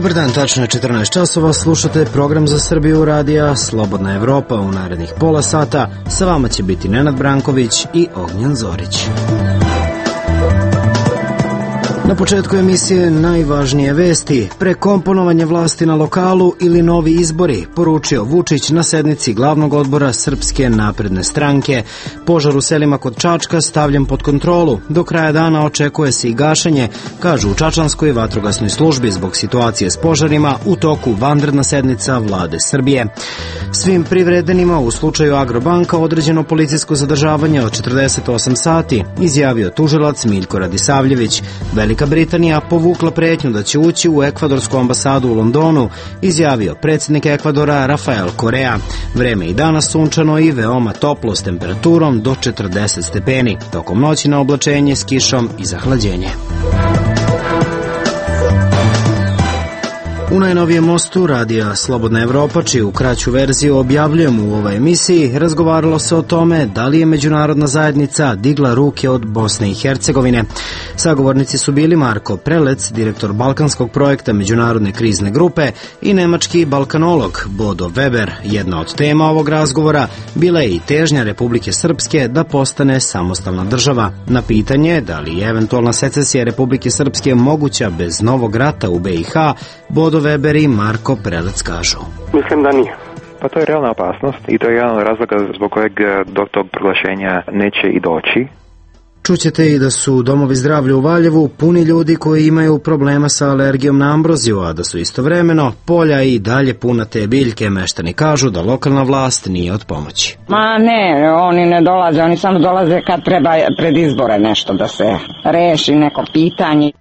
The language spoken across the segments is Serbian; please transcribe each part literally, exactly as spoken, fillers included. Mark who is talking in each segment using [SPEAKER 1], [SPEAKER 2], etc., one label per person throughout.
[SPEAKER 1] Dobar dan, tačno je četrnaest časova, slušate program za Srbiju radija Slobodna Evropa. U narednih pola sata sa vama će biti Nenad Branković i Ognjan Zorić. Na početku emisije najvažnije vesti. Prekomponovanje vlasti na lokalu ili novi izbori, poručio Vučić na sednici glavnog odbora Srpske napredne stranke. Požar u selima kod Čačka stavljen pod kontrolu. Do kraja dana očekuje se i gašenje, kažu u Čačanskoj vatrogasnoj službi zbog situacije s požarima u toku vanredna sednica vlade Srbije. Svim privredenima u slučaju Agrobanka određeno policijsko zadržavanje od četrdeset osam sati, izjavio tužilac Miljko Radisavljević. Velika Britanija povukla pretnju da će ući u ekvadorsku ambasadu u Londonu, izjavio predsjednik Ekvadora Rafael Korea. Vreme i danas sunčano i veoma toplo s temperaturom do četrdeset stepeni. Tokom noći na oblačenje s kišom i zahlađenje. U najnovijem mostu radija Slobodna Evropa, čiju kraću verziju objavljujemo u ovoj emisiji, razgovaralo se o tome da li je međunarodna zajednica digla ruke od Bosne i Hercegovine. Sagovornici su bili Marko Prelec, direktor balkanskog projekta Međunarodne krizne grupe, i nemački balkanolog Bodo Weber. Jedna od tema ovog razgovora bila je i težnja Republike Srpske da postane samostalna država. Na pitanje da li je eventualna secesija Republike Srpske moguća bez novog rata u B i H, Bodo Weber i Marko Prelec kažu.
[SPEAKER 2] Mislim da nije.
[SPEAKER 3] Pa to je realna opasnost i to je jedan od razloga zbog kojeg do tog proglašenja neće i doći.
[SPEAKER 1] Čućete i da su domovi zdravlja u Valjevu puni ljudi koji imaju problema sa alergijom na ambroziju, a da su istovremeno polja i dalje puna te biljke. Meštani kažu da lokalna vlast nije od pomoći.
[SPEAKER 4] Ma ne, oni ne dolaze, oni samo dolaze kad treba pred izbore nešto da se reši neko pitanje.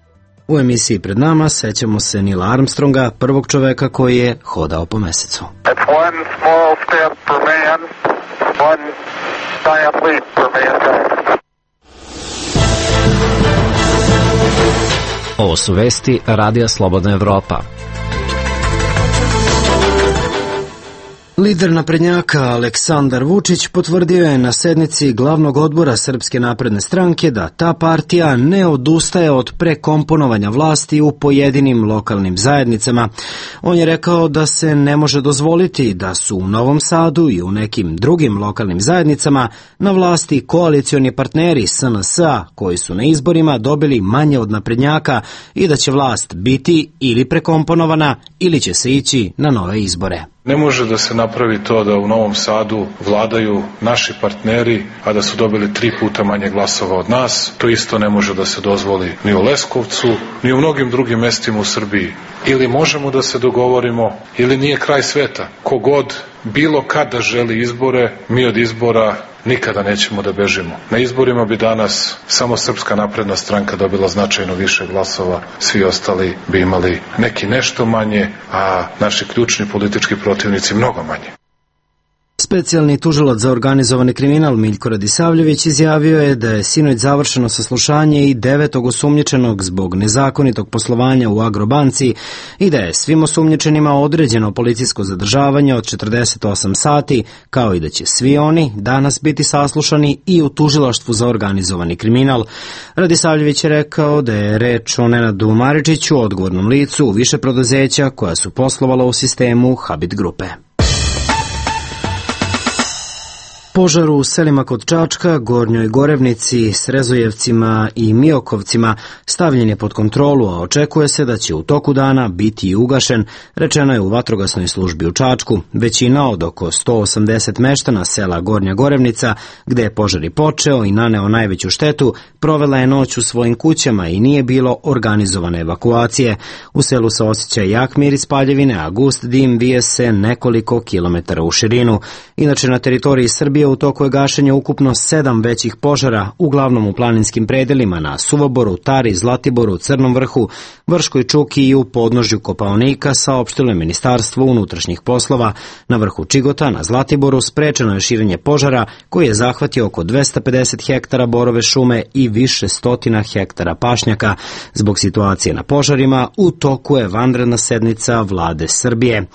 [SPEAKER 1] U emisiji pred nama sećamo se Nila Armstronga, prvog čoveka koji je hodao po mesecu.
[SPEAKER 5] Ovo su vesti Radija Slobodna Evropa.
[SPEAKER 1] Lider naprednjaka Aleksandar Vučić potvrdio je na sednici glavnog odbora Srpske napredne stranke da ta partija ne odustaje od prekomponovanja vlasti u pojedinim lokalnim zajednicama. On je rekao da se ne može dozvoliti da su u Novom Sadu i u nekim drugim lokalnim zajednicama na vlasti koalicioni partneri S N S-a koji su na izborima dobili manje od naprednjaka i da će vlast biti ili prekomponovana ili će se ići na nove izbore.
[SPEAKER 6] Ne može da se napravi to da u Novom Sadu vladaju naši partneri, a da su dobili tri puta manje glasova od nas. To isto ne može da se dozvoli ni u Leskovcu, ni u mnogim drugim mestima u Srbiji. Ili možemo da se dogovorimo, ili nije kraj sveta. Kogod bilo kada želi izbore, mi od izbora nikada nećemo da bežimo. Na izborima bi danas samo Srpska napredna stranka dobila značajno više glasova, svi ostali bi imali neki nešto manje, a naši ključni politički protivnici mnogo manje.
[SPEAKER 1] Specijalni tužilac za organizovani kriminal Miljko Radisavljević izjavio je da je sinoć završeno saslušanje i devetog osumnjičenog zbog nezakonitog poslovanja u Agrobanci i da je svim osumnjičenima određeno policijsko zadržavanje od četrdeset osam sati, kao i da će svi oni danas biti saslušani i u tužilaštvu za organizovani kriminal. Radisavljević je rekao da je reč o Nenadu Maričiću, odgovornom licu u više preduzeća koja su poslovala u sistemu Habit grupe. Požar u selima kod Čačka, Gornjoj Gorevnici, Srezojevcima i Miokovcima stavljen je pod kontrolu, a očekuje se da će u toku dana biti i ugašen, rečeno je u vatrogasnoj službi u Čačku. Većina od oko sto osamdeset meštana sela Gornja Gorevnica, gde je požar i počeo i naneo najveću štetu, provela je noć u svojim kućama i nije bilo organizovane evakuacije. U selu se osjeća jak miris paljevine, a gust dim vije se nekoliko kilometara u širinu. Inače, na teritoriji Srbije u toku je gašenje ukupno sedam većih požara, uglavnom u planinskim predelima na Suvoboru, Tari, Zlatiboru, Crnom vrhu, Vrškoj čuki i u podnožju Kopaonika, saopštilo je Ministarstvo unutrašnjih poslova. Na vrhu Čigota, na Zlatiboru, sprečeno je širenje požara koji je zahvatio oko dvesta pedeset hektara borove šume i više stotina hektara pašnjaka. Zbog situacije na požarima u toku je vanredna sednica vlade Srbije.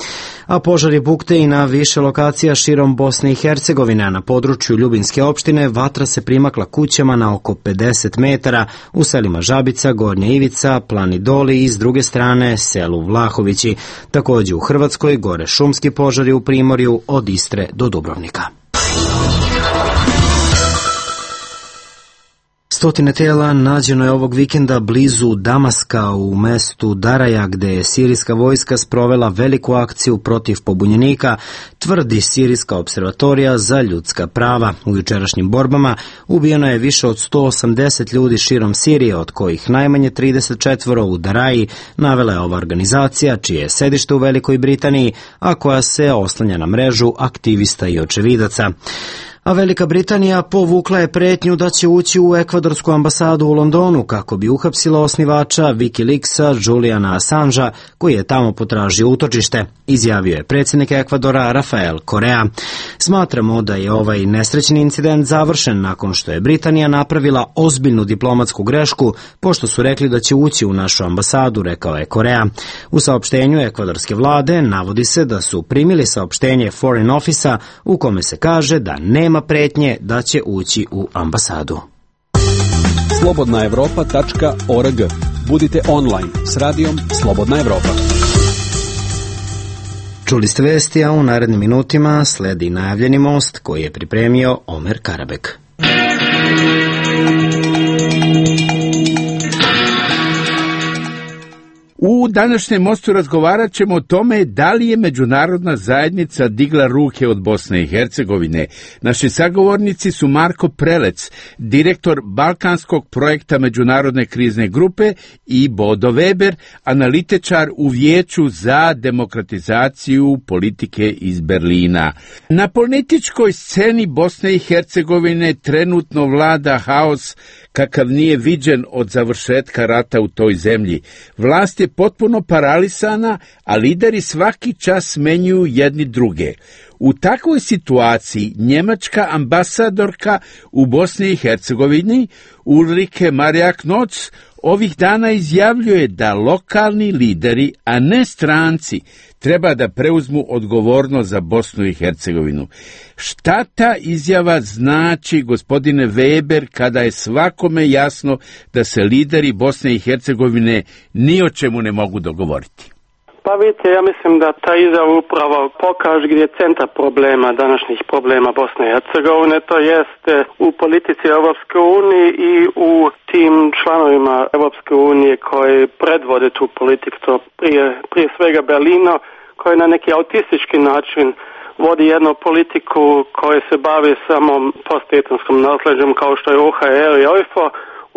[SPEAKER 1] A požari bukte i na više lokacija širom Bosne i Hercegovine. na području Ljubinske opštine vatra se primakla kućama na oko pedeset metara u selima Žabica, Gornja Ivica, Plani Doli i s druge strane selu Vlahovići. Također u Hrvatskoj gore šumski požari u Primorju od Istre do Dubrovnika. Stotine tela nađeno je ovog vikenda blizu Damaska u mestu Daraja, gde je sirijska vojska sprovela veliku akciju protiv pobunjenika, tvrdi sirijska observatorija za ljudska prava. U jučerašnjim borbama ubijeno je više od sto osamdeset ljudi širom Sirije, od kojih najmanje trideset četiri u Daraji, navela je ova organizacija, čije je sedište u Velikoj Britaniji, a koja se oslanja na mrežu aktivista i očevidaca. A Velika Britanija povukla je pretnju da će ući u ekvadorsku ambasadu u Londonu kako bi uhapsila osnivača Wikileaksa Juliana Assangea, koji je tamo potražio utočište, izjavio je predsjednik Ekvadora Rafael Correa. Smatramo da je ovaj nesrećni incident završen nakon što je Britanija napravila ozbiljnu diplomatsku grešku, pošto su rekli da će ući u našu ambasadu, rekao je Correa. U saopštenju ekvadorske vlade navodi se da su primili saopštenje Foreign Office-a u kome se kaže da nema pretnje da će ući u ambasadu.
[SPEAKER 2] slobodna evropa tačka org. Budite online s radijom Slobodna Evropa.
[SPEAKER 1] Čuli ste vesti, a u narednim minutima sledi najavljeni most koji je pripremio Omer Karabek.
[SPEAKER 7] U današnjem mostu razgovarat ćemo o tome da li je međunarodna zajednica digla ruke od Bosne i Hercegovine. Naši sagovornici su Marko Prelec, direktor Balkanskog projekta Međunarodne krizne grupe, i Bodo Weber, analitičar u Vijeću za demokratizaciju politike iz Berlina. Na političkoj sceni Bosne i Hercegovine trenutno vlada haos kakav nije viđen od završetka rata u toj zemlji. Vlast je potpuno paralisana, a lideri svaki čas smenjuju jedni druge. U takvoj situaciji njemačka ambasadorka u Bosni i Hercegovini Ulrike Marjak-Noc ovih dana izjavljuje da lokalni lideri, a ne stranci, treba da preuzmu odgovornost za Bosnu i Hercegovinu. Šta ta izjava znači, gospodine Weber, kada je svakome jasno da se lideri Bosne i Hercegovine ni o čemu ne mogu dogovoriti?
[SPEAKER 8] Pa vidite, ja mislim da ta izjava upravo pokaže gdje je centar problema, današnjih problema Bosne i Hercegovine, to jeste u politici Europske unije i u tim članovima Europske unije koji predvode tu politiku, to prije, prije svega Berlino, koji na neki autistički način vodi jednu politiku koja se bavi samo postetonskom nasleđem kao što je O H R i O I F O,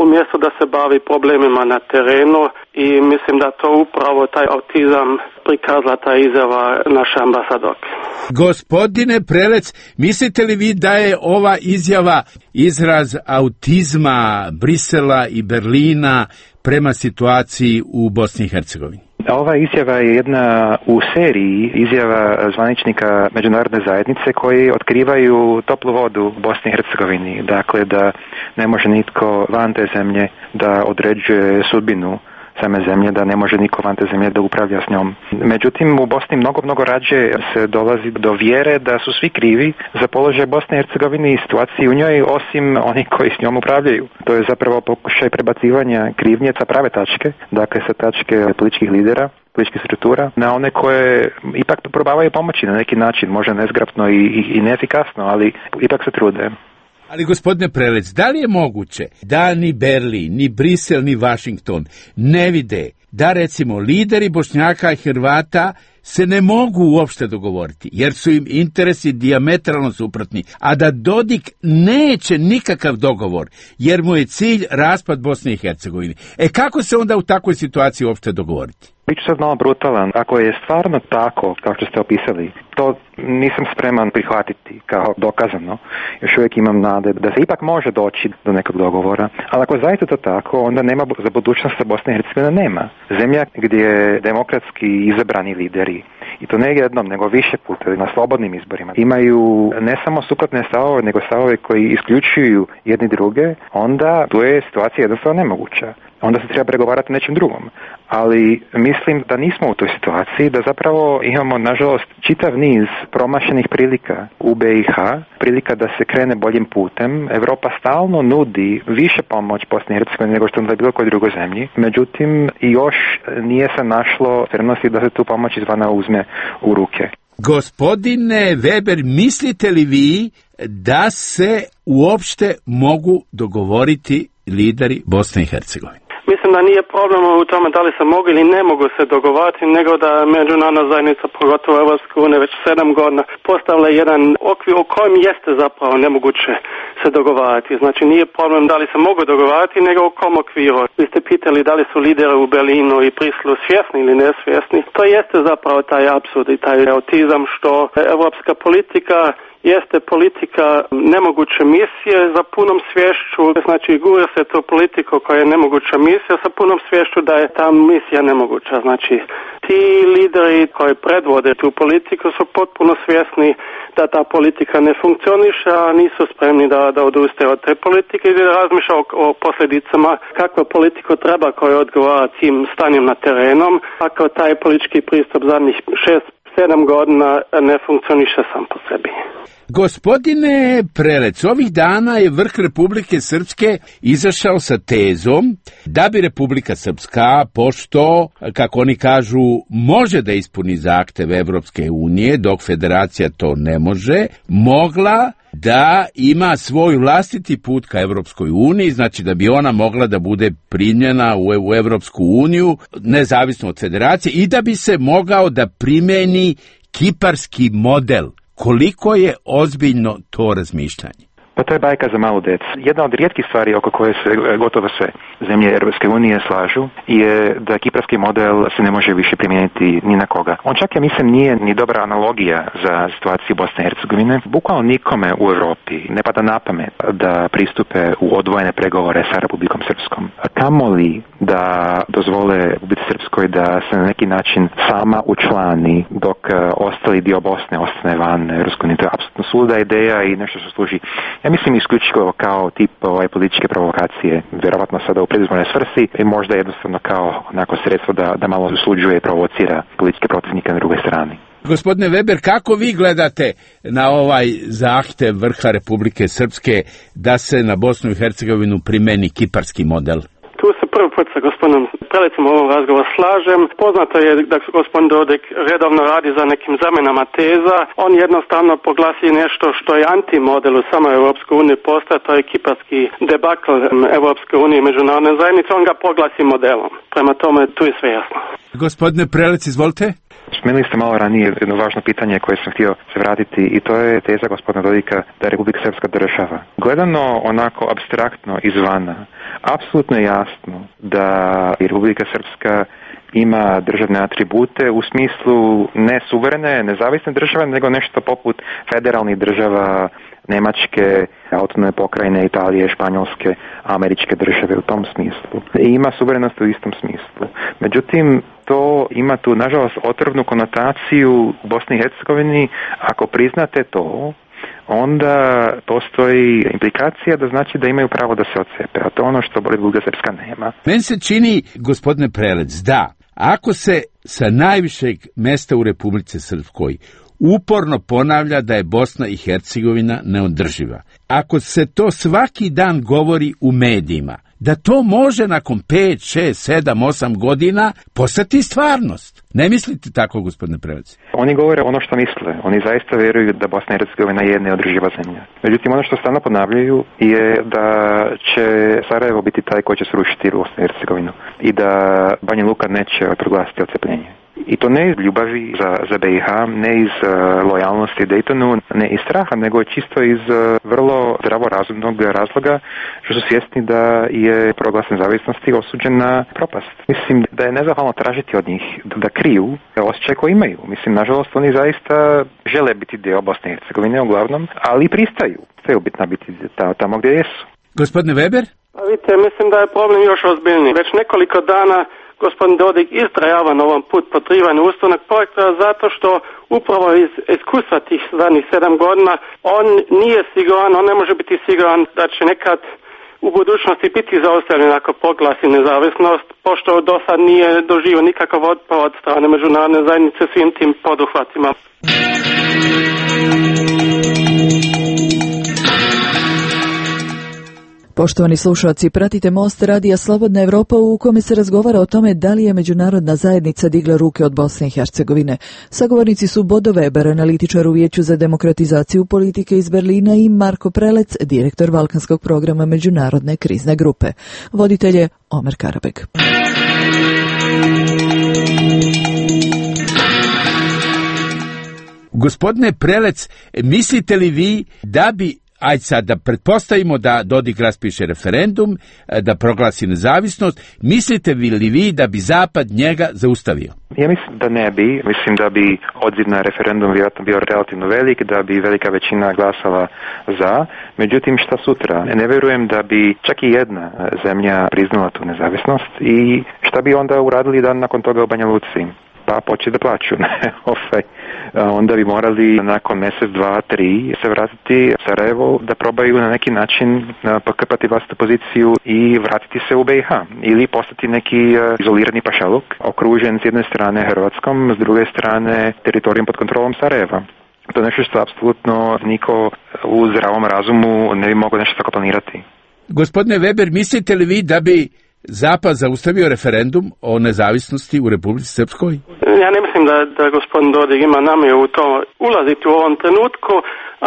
[SPEAKER 8] umjesto da se bavi problemima na terenu, i mislim da to upravo taj autizam prikazala ta izjava naše ambasadorke.
[SPEAKER 7] Gospodine Prelec, mislite li vi da je ova izjava izraz autizma Brisela i Berlina prema situaciji u Bosni i Hercegovini?
[SPEAKER 3] Ova izjava je jedna u seriji izjava zvaničnika međunarodne zajednice koji otkrivaju toplu vodu u Bosni i Hercegovini. Dakle, da ne može nitko van te zemlje da određuje sudbinu same zemlje, da ne može niko van te zemlje da upravlja s njom. Međutim, u Bosni mnogo, mnogo rađe se dolazi do vjere da su svi krivi za položaj Bosne i Hercegovine i situaciji u njoj, osim oni koji s njom upravljaju. To je zapravo pokušaj prebacivanja krivnje sa prave tačke, dakle sa tačke političkih lidera, političkih struktura, na one koje ipak probavaju pomoći na neki način, možda nezgrapno i, i, i neefikasno, ali ipak se trude.
[SPEAKER 7] Ali, gospodine Prelec, da li je moguće da ni Berlin, ni Brisel, ni Washington ne vide da, recimo, lideri Bošnjaka i Hrvata se ne mogu uopšte dogovoriti, jer su im interesi dijametralno suprotni, a da Dodik neće nikakav dogovor, jer mu je cilj raspad Bosne i Hercegovine. E kako se onda u takvoj situaciji uopšte dogovoriti?
[SPEAKER 3] Biću sad malo brutalan. Ako je stvarno tako, kao što ste opisali, to nisam spreman prihvatiti kao dokazano. Još uvijek imam nade da se ipak može doći do nekog dogovora. Ali ako je zaista to tako, onda nema za budućnost Bosne i Hercegovine nema. Zemlja gdje demokratski izabrani lideri, i to ne jednom, nego više puta na slobodnim izborima, imaju ne samo suprotne stavove, nego stavove koji isključuju jedni druge, onda tu je situacija jednostavno nemoguća. onda se treba pregovarati nečim drugom. Ali mislim da nismo u toj situaciji, da zapravo imamo, nažalost, čitav niz promašenih prilika u B i H, prilika da se krene boljim putem. Europa stalno nudi više pomoć Bosni i Hercegovini nego što je bilo kojoj drugoj zemlji. Međutim, još nije se našlo spremnosti da se tu pomoć izvana uzme u ruke.
[SPEAKER 7] Gospodine Weber, mislite li vi da se uopšte mogu dogovoriti lideri Bosne i Hercegovine?
[SPEAKER 8] Mislim da nije problem u tome da li se mogu ili ne mogu se dogovarati, nego da međunarodna zajednica, pogotovo Evropska unija, već sedam godina postavila jedan okvir u kojem jeste zapravo nemoguće se dogovarati. Znači nije problem da li se mogu dogovarati, nego u kom okviru. Vi ste pitali da li su lideri u Berlinu i Briselu svjesni ili nesvjesni. To jeste zapravo taj apsurd i taj autizam što evropska politika jeste politika nemoguće misije za punom svješću, znači gura se to politiko koja je nemoguća misija sa punom svješću da je ta misija nemoguća. Znači ti lideri koji predvode tu politiku su potpuno svjesni da ta politika ne funkcioniše, a nisu spremni da, da odustaju od te politike i da razmišlja o, o posljedicama kakva politiku treba koja odgovara tim stanjem na terenom, ako taj politički pristup zadnjih šest sedam godina ne funkcioniše sam po sebi.
[SPEAKER 7] Gospodine Prelec, ovih dana je vrh Republike Srpske izašao sa tezom da bi Republika Srpska, pošto, kako oni kažu, može da ispuni zahtev Evropske unije, dok federacija to ne može, mogla da ima svoj vlastiti put ka Evropskoj uniji, znači da bi ona mogla da bude primljena u Evropsku uniju, nezavisno od federacije, i da bi se mogao da primeni kiparski model. Koliko je ozbiljno to razmišljanje?
[SPEAKER 3] Pa to je bajka za malu decu. Jedna od rijetkih stvari oko koje se gotovo sve zemlje Europske unije slažu je da kiparski model se ne može više primijeniti ni na koga. On čak, ja mislim, nije ni dobra analogija za situaciju Bosne i Hercegovine. Bukvalno nikome u Europi ne pada na pamet da pristupe u odvojene pregovore sa Republikom Srpskom. Kamoli da dozvole Republici Srpskoj da se na neki način sama učlani dok ostali dio Bosne ostane van Europske unije. To je apsolutno suluda ideja i nešto što služi, ja mislim, isključivo kao tip ovaj, političke provokacije, vjerovatno sada u predizbornoj svrsi i možda jednostavno kao onako sredstvo da, da malo usluđuje i provocira političke protivnike na drugoj strani.
[SPEAKER 7] Gospodine Weber, kako vi gledate na ovaj zahtev vrha Republike Srpske da se na Bosnu i Hercegovinu primeni kiparski model?
[SPEAKER 8] Tu se prvi put sa gospodinom Prelecom u ovom razgovoru slažem. Poznato je da gospodin Dodik redovno radi za nekim zamenama teza. On jednostavno poglasi nešto što je antimodel u samoj Europskoj uniji postaje, to je kiparski debakl Europske unije i međunarodne zajednice. On ga poglasi modelom. Prema tome, tu je sve jasno.
[SPEAKER 7] Gospodine Prelec, izvolite.
[SPEAKER 3] Spomenuli ste malo ranije jedno važno pitanje koje sam htio se vratiti i to je teza gospodina Dodika da je Republika Srpska država. Gledano onako apstraktno izvana, apsolutno je jasno da Republika Srpska ima državne atribute u smislu ne suverene, nezavisne države, nego nešto poput federalnih država Njemačke, autonomne pokrajine, Italije, Španjolske, američke države u tom smislu. I ima suverenost u istom smislu. Međutim, to ima tu, nažalost, otrovnu konotaciju u Bosni i Hercegovini. Ako priznate to, onda postoji implikacija da znači da imaju pravo da se odcepe, a to je ono što Republika Srpska nema.
[SPEAKER 7] Meni se čini, gospodine Prelec, da ako se sa najvišeg mesta u Republici Srpskoj uporno ponavlja da je Bosna i Hercegovina neodrživa, ako se to svaki dan govori u medijima, da to može nakon pet, šest, sedam, osam godina postati stvarnost. Ne mislite tako, gospodine Prelec?
[SPEAKER 3] Oni govore ono što misle. Oni zaista vjeruju da Bosna i Hercegovina je neodrživa zemlja. Međutim, ono što stalno ponavljaju je da će Sarajevo biti taj koji će srušiti Bosnu i Hercegovinu i da Banja Luka neće proglasiti odcepljenje. I to ne iz ljubavi za, za B i H, ne iz uh, lojalnosti Daytonu, ne iz straha, nego čisto iz uh, vrlo zdravorazumnog razloga što su svjesni da je proglas nezavisnosti osuđen na propast. Mislim da je nezahvalno tražiti od njih da, da kriju osjećaj koji imaju. Mislim, nažalost, oni zaista žele biti dio Bosne i Hercegovine uglavnom, ali pristaju. Sve ubitna biti tamo gdje jesu.
[SPEAKER 7] Gospodine Weber?
[SPEAKER 8] Pa vidite, mislim da je problem još ozbiljniji. Već nekoliko dana gospodin Dodik istrajava na ovom put potrivanja ustavnog projekta zato što upravo iz iskustva tih zadnjih sedam godina on nije siguran, on ne može biti siguran da će nekad u budućnosti biti zaustavljen ako proglasi nezavisnost, pošto do sad nije doživio nikakav otpor od strane međunarodne zajednice svim tim poduhvatima.
[SPEAKER 9] Poštovani slušalci, pratite Most radija Slobodna Evropa u kome se razgovara o tome da li je međunarodna zajednica digla ruke od Bosne i Hercegovine. Sagovornici su Bodo Weber, analitičar u Vijeću za demokratizaciju politike iz Berlina, i Marko Prelec, direktor Balkanskog programa Međunarodne krizne grupe. Voditelj je Omer Karabeg.
[SPEAKER 7] Gospodine Prelec, mislite li vi da bi, ajde sad da pretpostavimo da Dodik raspiše referendum, da proglasi nezavisnost, mislite li vi da bi Zapad njega zaustavio?
[SPEAKER 3] Ja mislim da ne bi. Mislim da bi odziv na referendum vjerojatno bio relativno velik, da bi velika većina glasala za. Međutim, šta sutra? Ne vjerujem da bi čak i jedna zemlja priznala tu nezavisnost i šta bi onda uradili dan nakon toga u Banja Luci? Pa početi da plaću. Onda bi morali nakon mjesec, dva, tri se vratiti u Sarajevo da probaju na neki način pokrpati vlastitu poziciju i vratiti se u B i H. Ili postati neki izolirani pašaluk, okružen s jedne strane Hrvatskom, s druge strane teritorijom pod kontrolom Sarajeva. To je nešto što apsolutno niko u zdravom razumu ne bi mogao nešto tako planirati.
[SPEAKER 7] Gospodine Weber, mislite li vi da bi Zapad zaustavio referendum o nezavisnosti u Republici Srpskoj?
[SPEAKER 8] Ja ne mislim da, da gospodin Dodik ima namjeru u to ulaziti u ovom trenutku,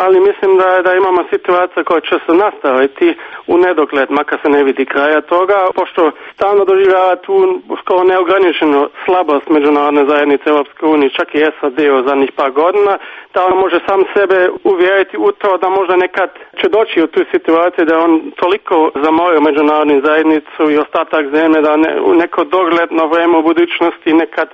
[SPEAKER 8] ali mislim da, da imamo situacija koja će se nastaviti u nedogled, makar se ne vidi kraja toga, pošto stalno doživljava tu skoro neograničenu slabost međunarodne zajednice Europske unije, čak i S A D u zadnjih par godina, da on može sam sebe uvjeriti u to da možda nekad će doći u tu situaciju da on toliko zamorio međunarodnu zajednicu i ostatak zemlje da ne, u neko dogledno vrijeme u budućnosti nekad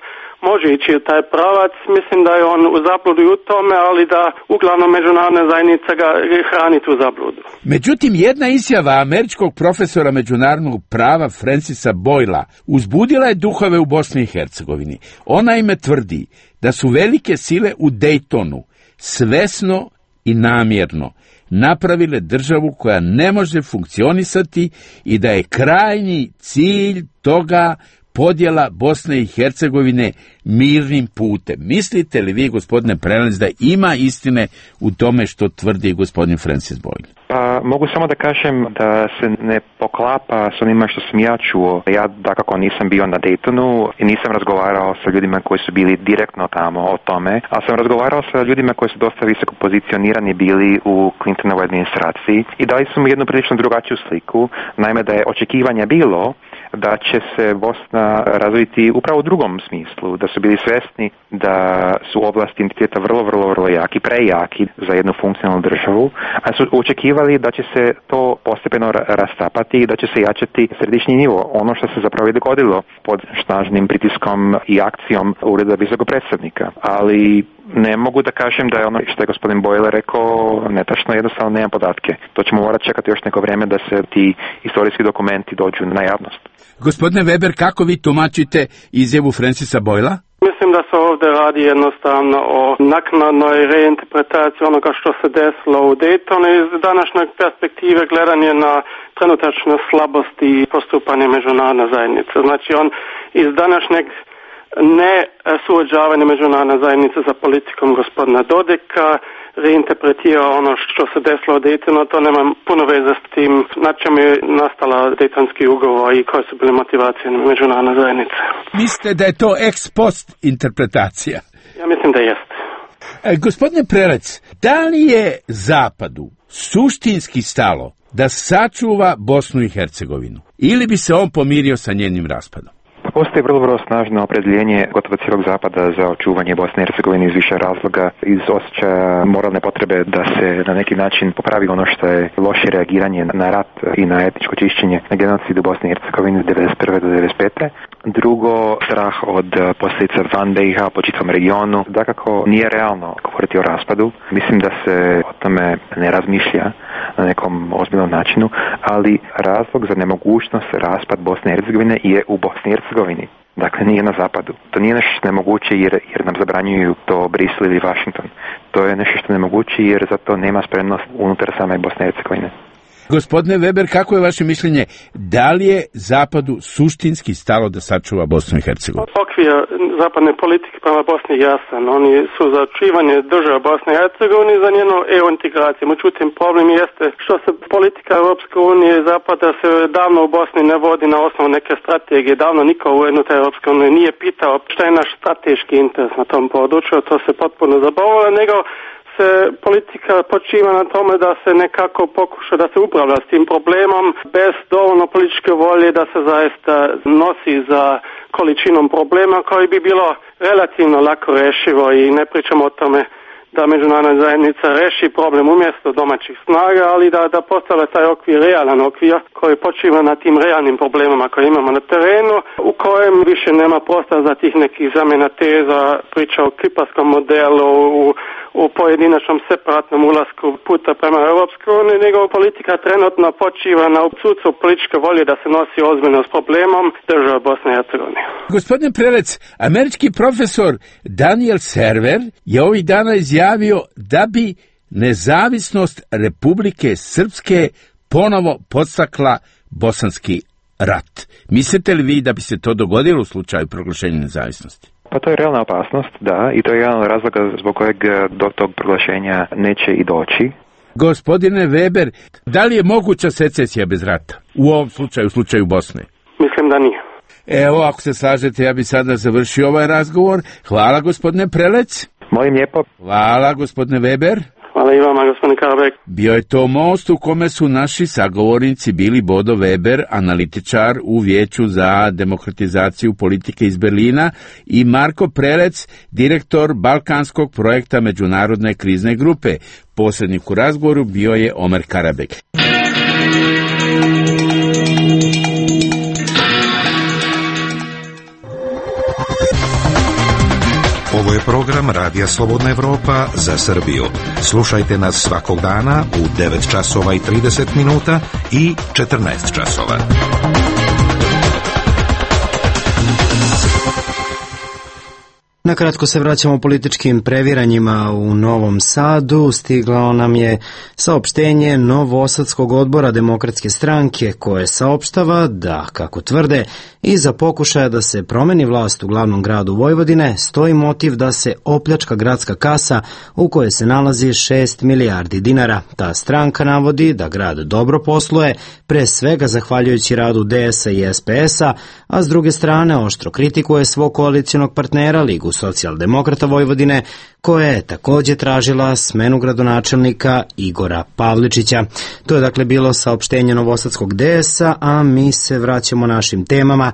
[SPEAKER 8] može ići u taj pravac. Mislim da je on u zabludu u tome, ali da uglavnom međunarodna zajednica ga hrani tu zabludu.
[SPEAKER 7] Međutim, jedna izjava američkog profesora međunarodnog prava Francisa Boyla uzbudila je duhove u Bosni i Hercegovini. Ona ime tvrdi da su velike sile u Daytonu svesno i namjerno napravile državu koja ne može funkcionisati i da je krajnji cilj toga podjela Bosne i Hercegovine mirnim putem. Mislite li vi, gospodine Prelec, da ima istine u tome što tvrdi gospodin Francis Boyle?
[SPEAKER 3] Pa mogu samo da kažem da se ne poklapa s onima što sam ja čuo. Ja dakako nisam bio na Daytonu i nisam razgovarao sa ljudima koji su bili direktno tamo o tome, ali sam razgovarao sa ljudima koji su dosta visoko pozicionirani bili u Clintonovoj administraciji i dali su mu jednu prilično drugačiju sliku. Naime, da je očekivanja bilo da će se Bosna razviti upravo u drugom smislu, da su bili svjesni da su oblasti entiteta vrlo, vrlo, vrlo jaki, prejaki za jednu funkcionalnu državu, a su očekivali da će se to postepeno rastapati i da će se jačati središnji nivo, ono što se zapravo i dogodilo pod snažnim pritiskom i akcijom Ureda visokog predstavnika. Ali ne mogu da kažem da je ono što je gospodin Boyle rekao netačno, jednostavno nemam podatke. To ćemo morati čekati još neko vrijeme da se ti istorijski dokumenti dođu na javnost.
[SPEAKER 7] Gospodine Weber, kako vi tumačite izjavu Francisa Boyla?
[SPEAKER 8] Mislim da se ovdje radi jednostavno o naknadnoj reinterpretaciji onoga što se desilo u Daytonu iz današnje perspektive gledanje na trenutačne slabosti i postupanje međunarodne zajednice. Znači on iz današnjeg ne suođavanje međunarodne zajednice za politikom gospodina Dodika reinterpretira ono što se desilo u Daytonu, to nema puno veze s tim na čemu je nastala Daytonski ugovor i koje su bile motivacije međunarodne zajednice.
[SPEAKER 7] Mislite da je to ex post interpretacija?
[SPEAKER 8] Ja mislim da jeste.
[SPEAKER 7] E, gospodine Prelec, da li je Zapadu suštinski stalo da sačuva Bosnu i Hercegovinu ili bi se on pomirio sa njenim raspadom?
[SPEAKER 3] Postoji vrlo, vrlo snažno opredjeljenje gotovo cijelog Zapada za očuvanje Bosne i Hercegovine iz više razloga, iz osjećaja moralne potrebe da se na neki način popravi ono što je loše reagiranje na rat i na etničko čišćenje na genocidu Bosne i Hercegovine od devedeset prve do devedeset pete. Drugo, strah od posljedica van B i H po čitavom regionu. Dakako, nije realno govoriti o raspadu. Mislim da se o tome ne razmišlja na nekom ozbiljnom načinu, ali razlog za nemogućnost raspad Bosne i Hercegovine je u Bosni i Hercegovini. Dakle, nije na zapadu. To nije nešto što je nemoguće jer, jer nam zabranjuju to Brisel ili Washington. To je nešto što je nemoguće jer za to nema spremnost unutar same Bosne i Hercegovine.
[SPEAKER 7] Gospodine Weber, kako je vaše mišljenje? Da li je Zapadu suštinski stalo da sačuva Bosnu i Hercegovinu?
[SPEAKER 8] Okvir zapadne politike prema Bosni je jasan. Oni su za očuvanje države Bosne i Hercegovine i za njenu E U integraciju. Međutim, problem jeste što se politika Europske unije i Zapada se davno u Bosni ne vodi na osnovu neke strategije. Davno niko u unutar Europske unije nije pitao šta je naš strateški interes na tom području. To se potpuno zaboravilo, nego se politika počiva na tome da se nekako pokuša da se upravlja s tim problemom bez dovoljno političke volje da se zaista nosi za količinom problema koji bi bilo relativno lako rešivo i ne pričamo o tome da međunarodna zajednica reši problem umjesto domaćih snaga, ali da, da postavlja taj okvir, realan okvir koji počiva na tim realnim problemama koje imamo na terenu, u kojem više nema prostora za tih nekih zamjena teza, priča o kiparskom modelu, u, u pojedinačnom separatnom ulasku puta prema Europskoj uniji, nego politika trenutno počiva na odsustvo političke volje da se nosi ozbiljno s problemom države Bosne i Hercegovine.
[SPEAKER 7] Gospodin Prelec, američki profesor Daniel Server je ovih dana izjavio da bi nezavisnost Republike Srpske ponovo podstakla bosanski rat. Mislite li vi da bi se to dogodilo u slučaju proglašenja nezavisnosti?
[SPEAKER 3] Pa to je realna opasnost, da, i to je jedan od razloga zbog kojeg do tog proglašenja neće i doći.
[SPEAKER 7] Gospodine Weber, da li je moguća secesija bez rata? U ovom slučaju, u slučaju Bosne?
[SPEAKER 8] Mislim da nije.
[SPEAKER 7] Evo, ako se slažete, ja bi sada završio ovaj razgovor. Hvala, gospodine Prelec.
[SPEAKER 3] Molim lijepo.
[SPEAKER 7] Hvala, gospodine Weber.
[SPEAKER 8] Hvala i vama, gospodine Karabek.
[SPEAKER 7] Bio je to most u kome su naši sagovornici bili Bodo Weber, analitičar u Vijeću za demokratizaciju politike iz Berlina, i Marko Prelec, direktor Balkanskog projekta Međunarodne krizne grupe. Posrednik u razgovoru bio je Omer Karabek.
[SPEAKER 10] Ovo je program Radija Slobodna Evropa za Srbiju. Slušajte nas svakog dana u devet časova i trideset minuta i četrnaest časova.
[SPEAKER 1] Nakratko se vraćamo političkim previranjima u Novom Sadu. Stiglo nam je saopštenje Novosadskog odbora Demokratske stranke koje saopštava da, kako tvrde, iza pokušaja da se promeni vlast u glavnom gradu Vojvodine stoji motiv da se opljačka gradska kasa u kojoj se nalazi šest milijardi dinara. Ta stranka navodi da grad dobro posluje, pre svega zahvaljujući radu D S A i S P S a, a s druge strane oštro kritikuje svog koalicionog partnera Ligu socijaldemokrata Vojvodine, koja je također tražila smenu gradonačelnika Igora Pavličića. To je dakle bilo saopštenje Novosadskog D S a, a mi se vraćamo našim temama.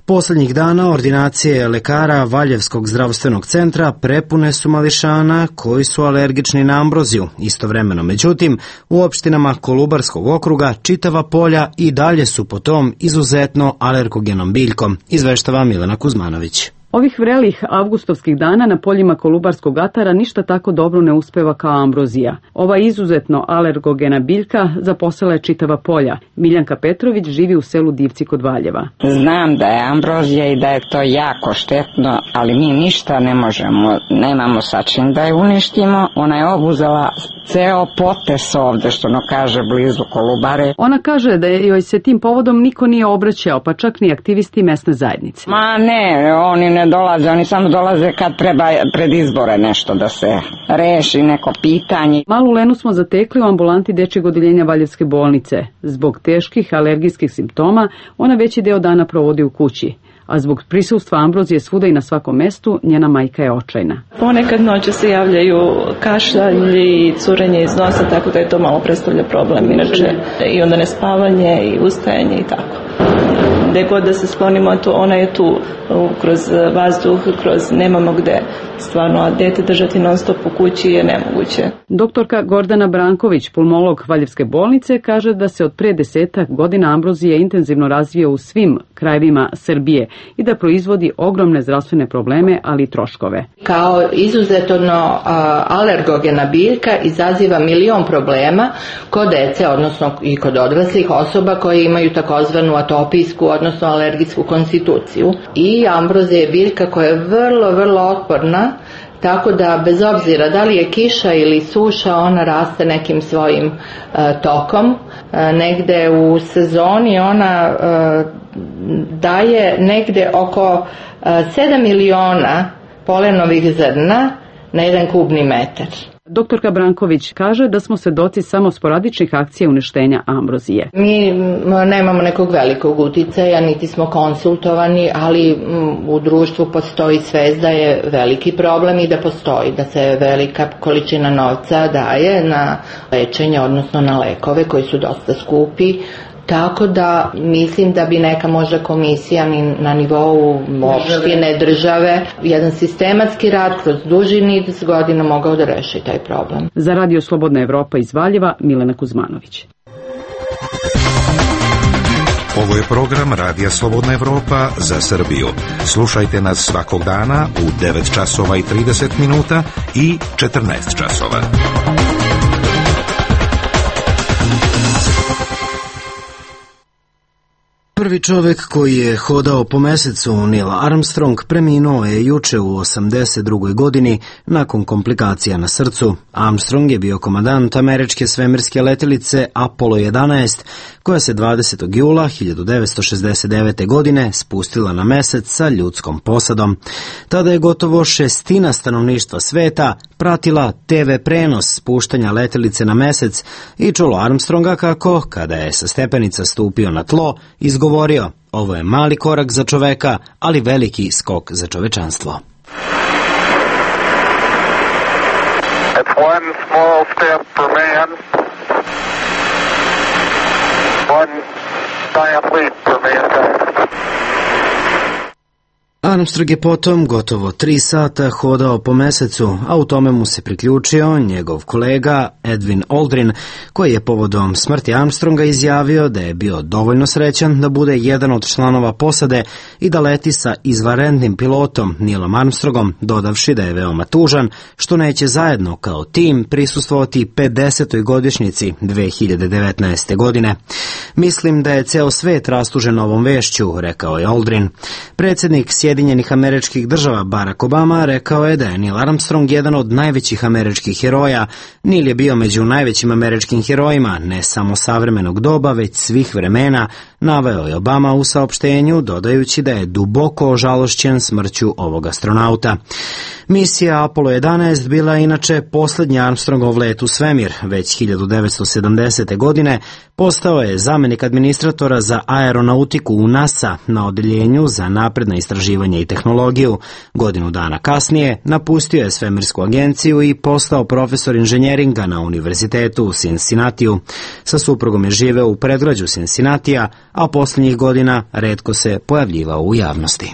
[SPEAKER 1] Poslednjih dana ordinacije lekara Valjevskog zdravstvenog centra prepune su mališana koji su alergični na ambroziju. Istovremeno, međutim, u opštinama Kolubarskog okruga čitava polja i dalje su po tom izuzetno alergogenom biljkom, izveštava Milena Kuzmanović.
[SPEAKER 11] Ovih vrelih avgustovskih dana na poljima Kolubarskog atara ništa tako dobro ne uspeva kao ambrozija. Ova izuzetno alergogena biljka zaposela je čitava polja. Miljanka Petrović živi u selu Divci kod Valjeva.
[SPEAKER 4] Znam da je ambrozija i da je to jako štetno, ali mi ništa ne možemo, nemamo sa čim da je uništimo. Ona je obuzela ceo potes ovde, što ono kaže, blizu Kolubare.
[SPEAKER 11] Ona kaže da joj se tim povodom niko nije obraćao, pa čak ni aktivisti mesne zajednice.
[SPEAKER 4] Ma ne, oni ne dolaze, oni samo dolaze kad treba pred izbore nešto da se reši, neko pitanje.
[SPEAKER 11] Malu Lenu smo zatekli u ambulanti dečjeg odeljenja Valjevske bolnice. Zbog teških alergijskih simptoma ona veći deo dana provodi u kući, a zbog prisustva ambrozije svuda i na svakom mestu njena majka je očajna.
[SPEAKER 12] Ponekad noću se javljaju kašalj i curenje iz nosa, tako da je to malo predstavlja problem inače. I onda nespavanje i ustajanje i tako. Gde god da se sklonimo, to ona je tu kroz vazduh, kroz nemamo gde. Stvarno, a dete držati non stop u kući je nemoguće.
[SPEAKER 11] Doktorka Gordana Branković, pulmolog Valjevske bolnice, kaže da se od pre desetak godina ambrozija intenzivno razvija u svim krajevima Srbije i da proizvodi ogromne zdravstvene probleme, ali i troškove.
[SPEAKER 13] Kao izuzetno alergogena biljka izaziva milion problema kod dece, odnosno i kod odraslih osoba koje imaju takozvanu atopijsku, odnosno alergijsku konstituciju. I ambrozija je biljka koja je vrlo, vrlo otporna tako da bez obzira da li je kiša ili suša, ona raste nekim svojim uh, tokom. Uh, negde u sezoni ona uh, daje negde oko uh, sedam miliona polenovih zrna na jedan kubni metar.
[SPEAKER 11] Doktorka Branković kaže da smo svedoci samo sporadičnih akcija uništenja ambrozije.
[SPEAKER 13] Mi nemamo nekog velikog uticaja, niti smo konsultovani, ali u društvu postoji svest da je veliki problem i da postoji, da se velika količina novca daje na lečenje, odnosno na lekove koji su dosta skupi. Tako da mislim da bi neka možda komisija na nivou opštine, države, jedan sistematski rad kroz duži niz godina mogao da reši taj problem.
[SPEAKER 11] Za Radio Slobodna Evropa iz Valjeva, Milena Kuzmanović.
[SPEAKER 10] Ovo je program Radija Slobodna Evropa za Srbiju. Slušajte nas svakog dana u devet časova i trideset minuta i četrnaest časova.
[SPEAKER 1] Prvi čovjek koji je hodao po mesecu, Neil Armstrong, preminuo je juče u osamdeset drugoj godini nakon komplikacija na srcu. Armstrong je bio komandant američke svemirske letelice Apollo jedanaest, koja se dvadesetog jula hiljadu devetsto šezdeset devete. godine spustila na mesec sa ljudskom posadom. Tada je gotovo šestina stanovništva sveta pratila te ve prenos spuštanja letelice na mesec i čulo Armstronga kako, kada je sa stepenica stupio na tlo, izgovorio: ovo je mali korak za čoveka, ali veliki skok za čovečanstvo.
[SPEAKER 14] It's one small step for man, one giant leap for mankind.
[SPEAKER 1] Armstrong je potom gotovo tri sata hodao po mesecu, a u tome mu se priključio njegov kolega Edwin Aldrin, koji je povodom smrti Armstronga izjavio da je bio dovoljno srećan da bude jedan od članova posade i da leti sa izvanrednim pilotom Neilom Armstrongom, dodavši da je veoma tužan što neće zajedno kao tim prisustvovati pedesetoj godišnjici dve hiljade devetnaeste. godine. Mislim da je ceo svet rastužen ovom vešću, rekao je Aldrin. Predsjednik Sjedinjenih Američkih Država Barack Obama rekao je da je Neil Armstrong jedan od najvećih američkih heroja. Neil je bio među najvećim američkim herojima, ne samo savremenog doba, već svih vremena, naveo je Obama u saopštenju, dodajući da je duboko ožalošćen smrću ovog astronauta. Misija Apollo jedanaest bila je inače posljednji Armstrongov let u svemir. Već hiljadu devetsto sedamdesete. godine postao je zamjenik administratora za aeronautiku u NASA na odeljenju za napredna istraživanja i tehnologiju. Godinu dana kasnije napustio je svemirsku agenciju i postao profesor inženjeringa na univerzitetu u Cincinnatiju. Sa suprugom je živeo u predgrađu Cincinnatija, a posljednjih godina retko se pojavljivao u javnosti.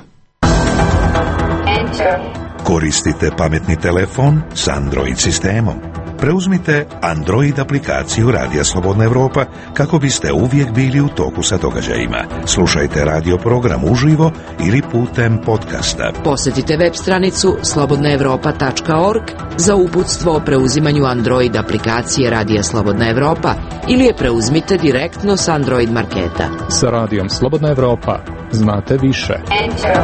[SPEAKER 10] Koristite pametni telefon s Android sistemom. Preuzmite Android aplikaciju Radija Slobodna Evropa kako biste uvijek bili u toku sa događajima. Slušajte radio program uživo ili putem podcasta.
[SPEAKER 15] Posjetite web stranicu slobodna evropa tačka org za uputstvo o preuzimanju Android aplikacije Radija Slobodna Evropa ili je preuzmite direktno s Android marketa.
[SPEAKER 16] Sa Radijom Slobodna Evropa znate više. Enter.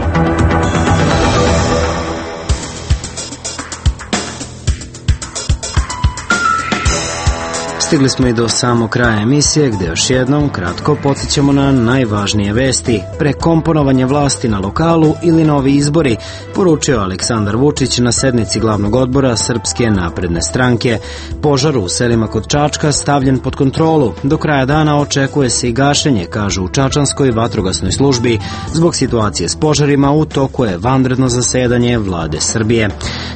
[SPEAKER 1] Stigli smo i do samog kraja emisije, gdje još jednom kratko podsjećamo na najvažnije vesti. Prekomponovanje vlasti na lokalu ili novi izbori, poručio Aleksandar Vučić na sednici glavnog odbora Srpske napredne stranke. Požar u selima kod Čačka stavljen pod kontrolu. Do kraja dana očekuje se i gašenje, kažu u Čačanskoj vatrogasnoj službi. Zbog situacije s požarima u toku je vanredno zasedanje vlade Srbije.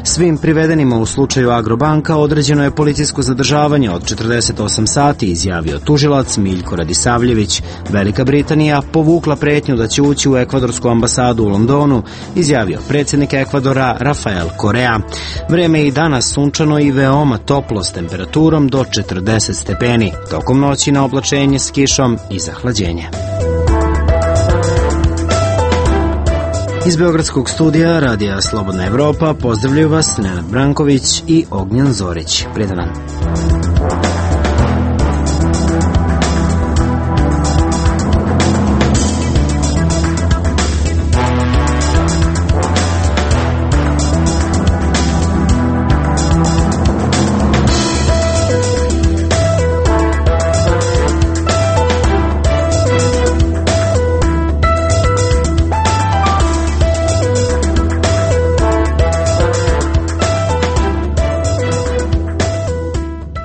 [SPEAKER 1] Svim privedenima u slučaju Agrobanka određeno je policijsko zadržavanje od četrdeset osam sati, izjavio tužilac Miljko Radisavljević. Velika Britanija povukla pretnju da će ući u ekvadorsku ambasadu u Londonu, izjavio predsjednik Ekvadora Rafael Korea. Vreme je i danas sunčano i veoma toplo s temperaturom do četrdeset stepeni. Tokom noći na oblačenje s kišom i zahlađenje. Iz Beogradskog studija Radija Slobodna Evropa pozdravljaju vas Nenad Branković i Ognjen Zorić. Prijetan dan.